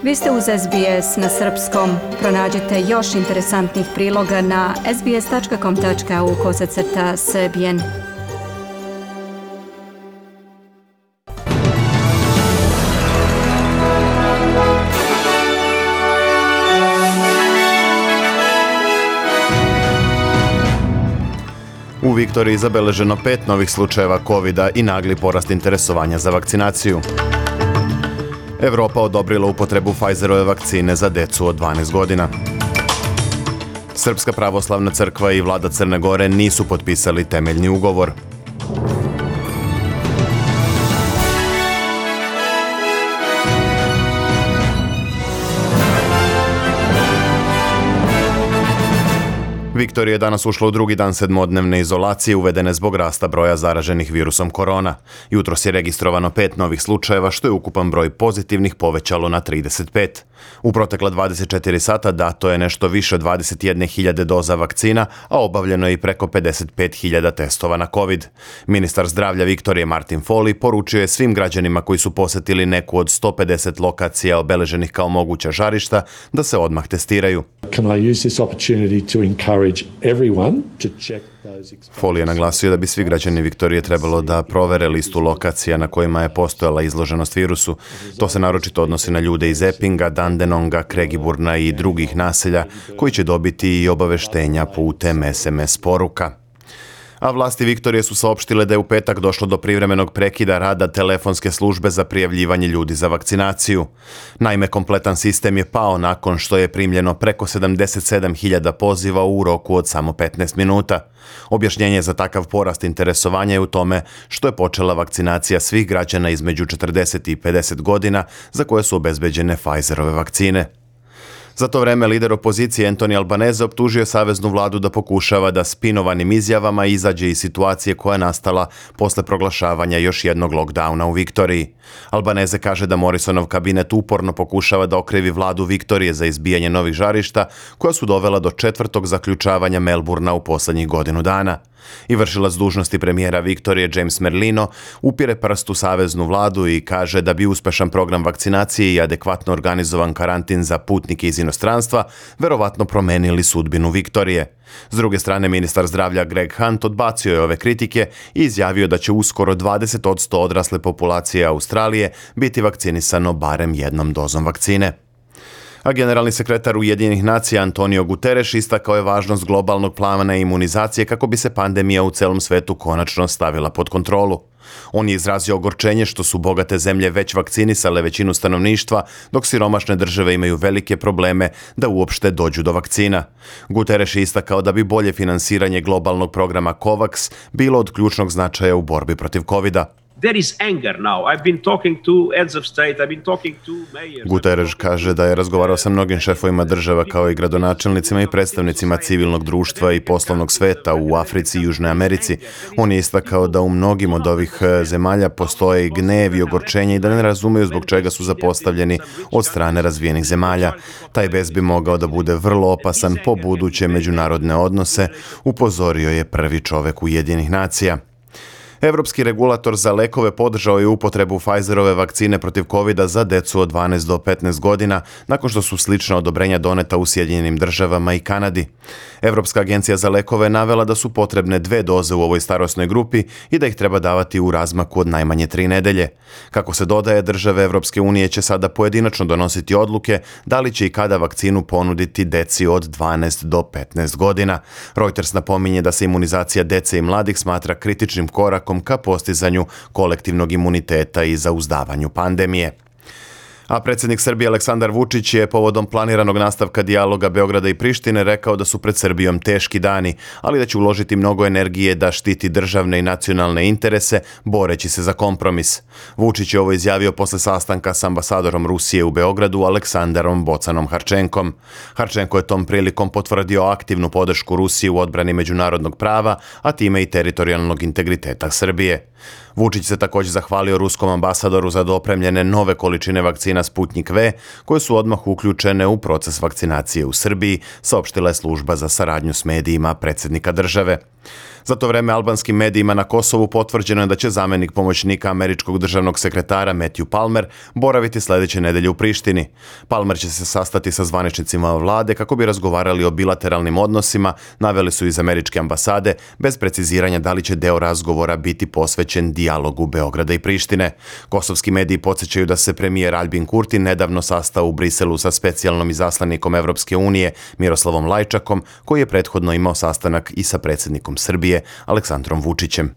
Vi ste uz SBS na srpskom. Pronađite još interesantnih priloga na sbs.com.au/srbijen. U Viktoriji zabeleženo 5 novih slučajeva COVID-a i nagli porast interesovanja za vakcinaciju. Evropa odobrila upotrebu Pfizerove vakcine za decu od 12 godina. Srpska pravoslavna crkva i vlada Crne Gore nisu potpisali temeljni ugovor. Viktorija je danas ušla u drugi dan sedmodnevne izolacije uvedene zbog rasta broja zaraženih virusom korona. Jutros je registrovano 5 novih slučajeva, što je ukupan broj pozitivnih povećalo na 35. U protekla 24 sata dato je nešto više od 21.000 doza vakcina, a obavljeno je i preko 55.000 testova na COVID. Ministar zdravlja Viktorije Martin Foley poručio je svim građanima koji su posetili neku od 150 lokacija obeleženih kao moguća žarišta da se odmah testiraju. Foley je naglasio da bi svi građani Viktorije trebalo da provere listu lokacija na kojima je postojala izloženost virusu. To se naročito odnosi na ljude iz Eppinga, Dandenonga, Kregiburna i drugih naselja koji će dobiti i obaveštenja putem SMS poruka. A vlasti Viktorije su saopštile da je u petak došlo do privremenog prekida rada telefonske službe za prijavljivanje ljudi za vakcinaciju. Naime, kompletan sistem je pao nakon što je primljeno preko 77.000 poziva u roku od samo 15 minuta. Objašnjenje za takav porast interesovanja je u tome što je počela vakcinacija svih građana između 40 i 50 godina za koje su obezbeđene Pfizerove vakcine. Za to vreme lider opozicije Anthony Albanese optužio saveznu vladu da pokušava da spinovanim izjavama izađe iz situacije koja je nastala posle proglašavanja još jednog lockdowna u Viktoriji. Albanese kaže da Morrisonov kabinet uporno pokušava da okrivi vladu Viktorije za izbijanje novih žarišta koja su dovela do 4. zaključavanja Melburna u poslednjih godinu dana. I vršilac dužnosti premijera Viktorije James Merlino upire prst u saveznu vladu i kaže da bi uspešan program vakcinacije i adekvatno organizovan karantin za putnike iz inostranstva verovatno promenili sudbinu Viktorije. S druge strane, ministar zdravlja Greg Hunt odbacio je ove kritike i izjavio da će uskoro 20% odrasle populacije Australije biti vakcinisano barem jednom dozom vakcine. A generalni sekretar Ujedinjenih nacija Antonio Guterres istakao je važnost globalnog plana imunizacije kako bi se pandemija u celom svetu konačno stavila pod kontrolu. On je izrazio ogorčenje što su bogate zemlje već vakcinisale većinu stanovništva, dok siromašne države imaju velike probleme da uopšte dođu do vakcina. Guterres je istakao da bi bolje finansiranje globalnog programa COVAX bilo od ključnog značaja u borbi protiv COVID-a. Guterres kaže da je razgovarao sa mnogim šefovima država kao i gradonačelnicima i predstavnicima civilnog društva i poslovnog sveta u Africi i Južnoj Americi. On je istakao da u mnogim od ovih zemalja postoje i gnev i ogorčenje i da ne razumeju zbog čega su zapostavljeni od strane razvijenih zemalja. Taj bes bi mogao da bude vrlo opasan po buduće međunarodne odnose, upozorio je prvi čovek Ujedinjenih nacija. Evropski regulator za lekove podržao je upotrebu Pfizerove vakcine protiv COVID-a za decu od 12 do 15 godina, nakon što su slična odobrenja doneta u Sjedinjenim državama i Kanadi. Evropska agencija za lekove navela da su potrebne 2 doze u ovoj starosnoj grupi i da ih treba davati u razmaku od najmanje 3 nedelje. Kako se dodaje, države Evropske unije će sada pojedinačno donositi odluke da li će i kada vakcinu ponuditi deci od 12 do 15 godina. Reuters napominje da se imunizacija dece i mladih smatra kritičnim korakom ka postizanju kolektivnog imuniteta i zauzdavanju pandemije. A predsjednik Srbije Aleksandar Vučić je povodom planiranog nastavka dijaloga Beograda i Prištine rekao da su pred Srbijom teški dani, ali da će uložiti mnogo energije da štiti državne i nacionalne interese, boreći se za kompromis. Vučić je ovo izjavio posle sastanka s ambasadorom Rusije u Beogradu Aleksandarom Bocanom Harčenkom. Harčenko je tom prilikom potvrdio aktivnu podršku Rusiji u odbrani međunarodnog prava, a time i teritorijalnog integriteta Srbije. Vučić se također zahvalio ruskom ambasadoru za dopremljene nove količine vakcina Sputnik V, koje su odmah uključene u proces vakcinacije u Srbiji, saopštila je služba za saradnju s medijima predsjednika države. Za to vreme albanskim medijima na Kosovu potvrđeno je da će zamenik pomoćnika američkog državnog sekretara Matthew Palmer boraviti sljedeće nedelje u Prištini. Palmer će se sastati sa zvaničnicima vlade kako bi razgovarali o bilateralnim odnosima, naveli su iz američke ambasade, bez preciziranja da li će deo razgovora biti posvećen dijalogu Beograda i Prištine. Kosovski mediji podsjećaju da se premijer Aljbin Kurti nedavno sastao u Briselu sa specijalnom izaslanikom Evropske unije Miroslavom Lajčakom, koji je prethodno imao sastanak i sa predsjednikom Srbije Aleksandrom Vučićem.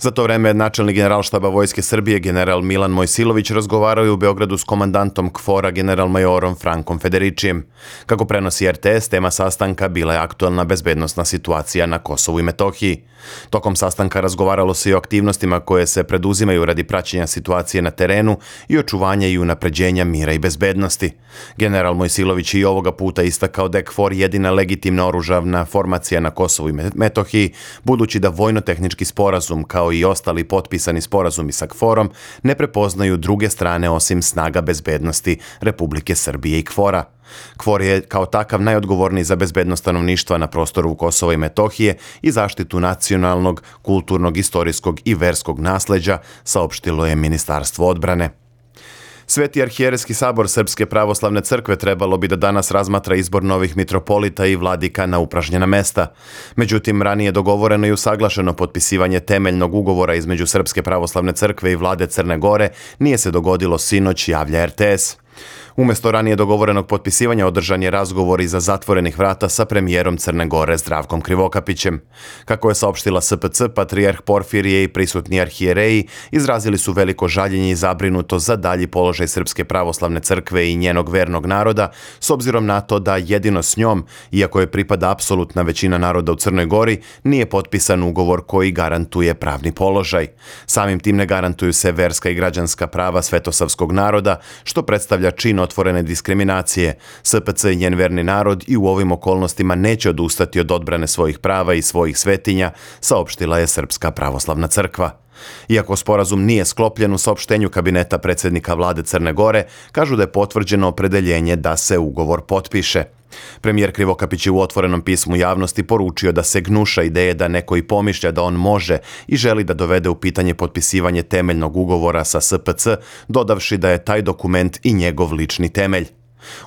Za to vreme načelnik Generalštaba Vojske Srbije general Milan Mojsilović razgovarao je u Beogradu s komandantom KFOR-a generalmajorom Frankom Federičijem. Kako prenosi RTS, tema sastanka bila je aktualna bezbednosna situacija na Kosovu i Metohiji. Tokom sastanka razgovaralo se i o aktivnostima koje se preduzimaju radi praćenja situacije na terenu i očuvanja i unapređenja mira i bezbednosti. General Mojsilović i ovoga puta istakao da je KFOR jedina legitimna oružavna formacija na Kosovu i Metohiji, budući da vojno-tehnički sporazum kao i ostali potpisani sporazumi sa KFOR-om ne prepoznaju druge strane osim snaga bezbednosti Republike Srbije i KFOR-a. KFOR je kao takav najodgovorniji za bezbednost stanovništva na prostoru Kosova i Metohije i zaštitu nacionalnog, kulturnog, istorijskog i verskog nasleđa, saopštilo je Ministarstvo odbrane. Sveti arhijerejski sabor Srpske pravoslavne crkve trebalo bi da danas razmatra izbor novih mitropolita i vladika na upražnjena mesta. Međutim, ranije dogovoreno i usaglašeno potpisivanje temeljnog ugovora između Srpske pravoslavne crkve i vlade Crne Gore nije se dogodilo sinoć, javlja RTS. Umjesto ranije dogovorenog potpisivanja održan je razgovor iza zatvorenih vrata sa premijerom Crne Gore Zdravkom Krivokapićem. Kako je saopštila SPC, patrijarh Porfirije i prisutni arhijereji izrazili su veliko žaljenje i zabrinutost za dalji položaj Srpske pravoslavne crkve i njenog vernog naroda, s obzirom na to da jedino s njom, iako je pripada apsolutna većina naroda u Crnoj Gori, nije potpisan ugovor koji garantuje pravni položaj. Samim tim ne garantuju se verska i građanska prava svetosavskog naroda, što predstavlja čin otvorene diskriminacije. SPC i njen verni narod i u ovim okolnostima neće odustati od odbrane svojih prava i svojih svetinja, saopštila je Srpska pravoslavna crkva. Iako sporazum nije sklopljen, u saopštenju kabineta predsjednika vlade Crne Gore kažu da je potvrđeno opredeljenje da se ugovor potpiše. Premijer Krivokapić je u otvorenom pismu javnosti poručio da se gnuša ideje da neko i pomišlja da on može i želi da dovede u pitanje potpisivanje temeljnog ugovora sa SPC, dodavši da je taj dokument i njegov lični temelj.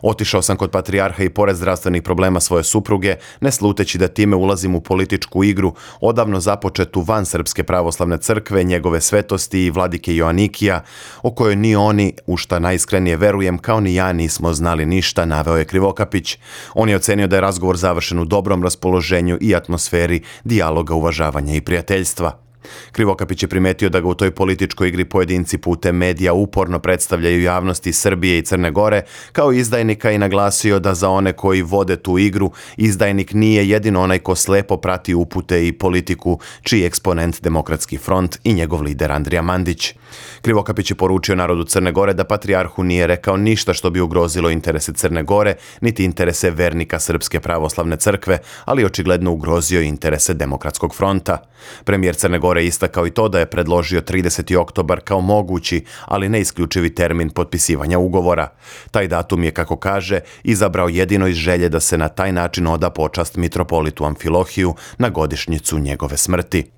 Otišao sam kod patrijarha i pored zdravstvenih problema svoje supruge, ne sluteći da time ulazim u političku igru, odavno započetu van Srpske pravoslavne crkve, njegove svetosti i vladike Joanikija, o kojoj ni oni, u šta najiskrenije verujem, kao ni ja nismo znali ništa, naveo je Krivokapić. On je ocenio da je razgovor završen u dobrom raspoloženju i atmosferi dijaloga, uvažavanja i prijateljstva. Krivokapić je primetio da ga u toj političkoj igri pojedinci putem medija uporno predstavljaju javnosti Srbije i Crne Gore kao izdajnika i naglasio da za one koji vode tu igru, izdajnik nije jedino onaj ko slepo prati upute i politiku, čiji eksponent Demokratski front i njegov lider Andrija Mandić. Krivokapić je poručio narodu Crne Gore da patrijarhu nije rekao ništa što bi ugrozilo interese Crne Gore, niti interese vernika Srpske pravoslavne crkve, ali očigledno ugrozio interese Demokratskog fronta. Premijer Crne Gore istakao i to da je predložio 30. oktobar kao mogući, ali ne isključivi termin potpisivanja ugovora. Taj datum je, kako kaže, izabrao jedino iz želje da se na taj način oda počast mitropolitu Amfilohiju na godišnjicu njegove smrti.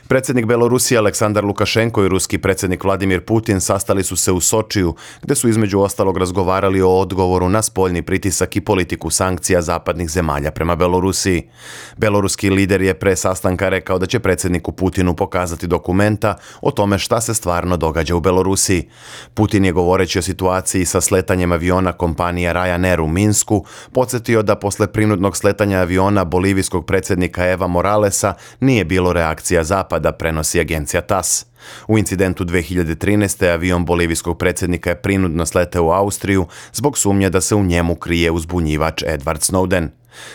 Predsjednik Belorusije Aleksandar Lukašenko i ruski predsjednik Vladimir Putin sastali su se u Sočiju, gde su između ostalog razgovarali o odgovoru na spoljni pritisak i politiku sankcija zapadnih zemalja prema Belorusiji. Beloruski lider je pre sastanka rekao da će predsjedniku Putinu pokazati dokumenta o tome šta se stvarno događa u Belorusiji. Putin je, govoreći o situaciji sa sletanjem aviona kompanije Ryanair u Minsku, podsjetio da posle prinudnog sletanja aviona bolivijskog predsjednika Eva Moralesa nije bilo reakcija Zapada, da prenosi agencija TASS. U incidentu 2013. avion bolivijskog predsjednika je prinudno sleteo u Austriju zbog sumnje da se u njemu krije uzbunjivač Edward Snowden.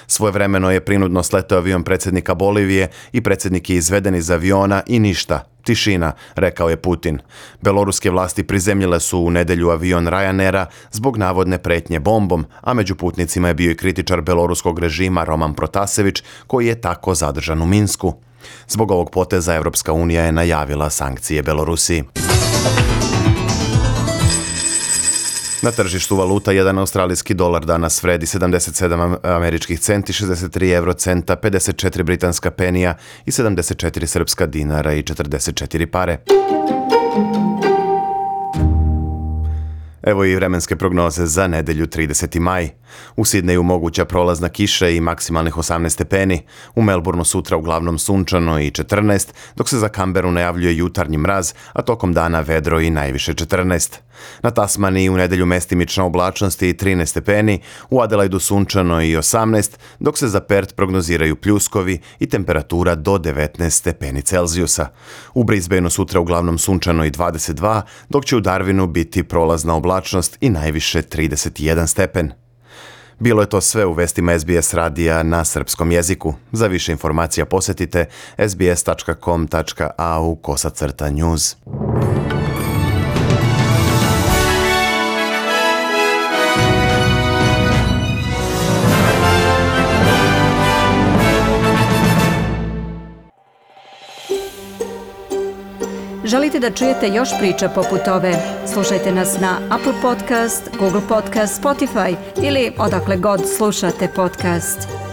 Svojevremeno je prinudno sleteo avion predsjednika Bolivije i predsjednik je izveden iz aviona i ništa. Tišina, rekao je Putin. Beloruske vlasti prizemljile su u nedjelju avion Ryanaira zbog navodne pretnje bombom, a među putnicima je bio i kritičar beloruskog režima Roman Protasević, koji je tako zadržan u Minsku. Zbog ovog poteza Evropska unija je najavila sankcije Belorusiji. Na tržištu valuta 1 australijski dolar danas vredi 77 američkih centi, 63 eurocenta, 54 britanska penija i 74 srpska dinara i 44 pare. Evo i vremenske prognoze za nedelju 30. maj. U Sidneju moguća prolazna kiša i maksimalnih 18 stepeni. U Melbourneu sutra uglavnom sunčano i 14, dok se za Kamberu najavljuje jutarnji mraz, a tokom dana vedro i najviše 14. Na Tasmaniji u nedelju mestimična oblačnost i 13 stepeni, u Adelaidu sunčano i 18, dok se za Perth prognoziraju pljuskovi i temperatura do 19 stepeni Celzijusa. U Brisbaneu sutra uglavnom sunčano i 22, dok će u Darwinu biti prolazna oblačnost i najviše 31 stepen. Bilo je to sve u vestima SBS radija na srpskom jeziku. Za više informacija posjetite sbs.com.au/news. Želite da čujete još priča poput ove? Slušajte nas na Apple Podcast, Google Podcast, Spotify ili odakle god slušate podcast.